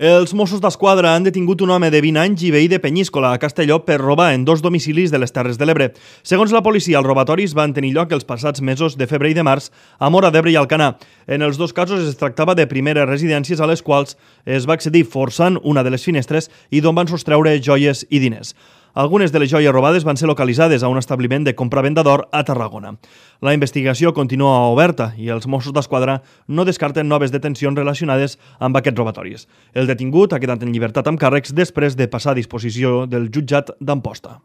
Els Mossos d'Esquadra han detingut un home de 20 anys i veí de Penyíscola, a Castelló, per robar en 2 domicilis de les Terres de l'Ebre. Segons la policia, els robatoris van tenir lloc els passats mesos de febrer i de març a Móra d'Ebre i Alcanar. En els 2 casos es tractava de primeres residències a les quals es va accedir forçant una de les finestres i d'on van sostreure joies i diners. Algunes de les joies robades van ser localitzades a un establiment de compra-venda d'or a Tarragona. La investigació continua oberta i els Mossos d'Esquadra no descarten noves detencions relacionades amb aquests robatoris. El detingut ha quedat en llibertat amb càrrecs després de passar a disposició del jutjat d'Amposta.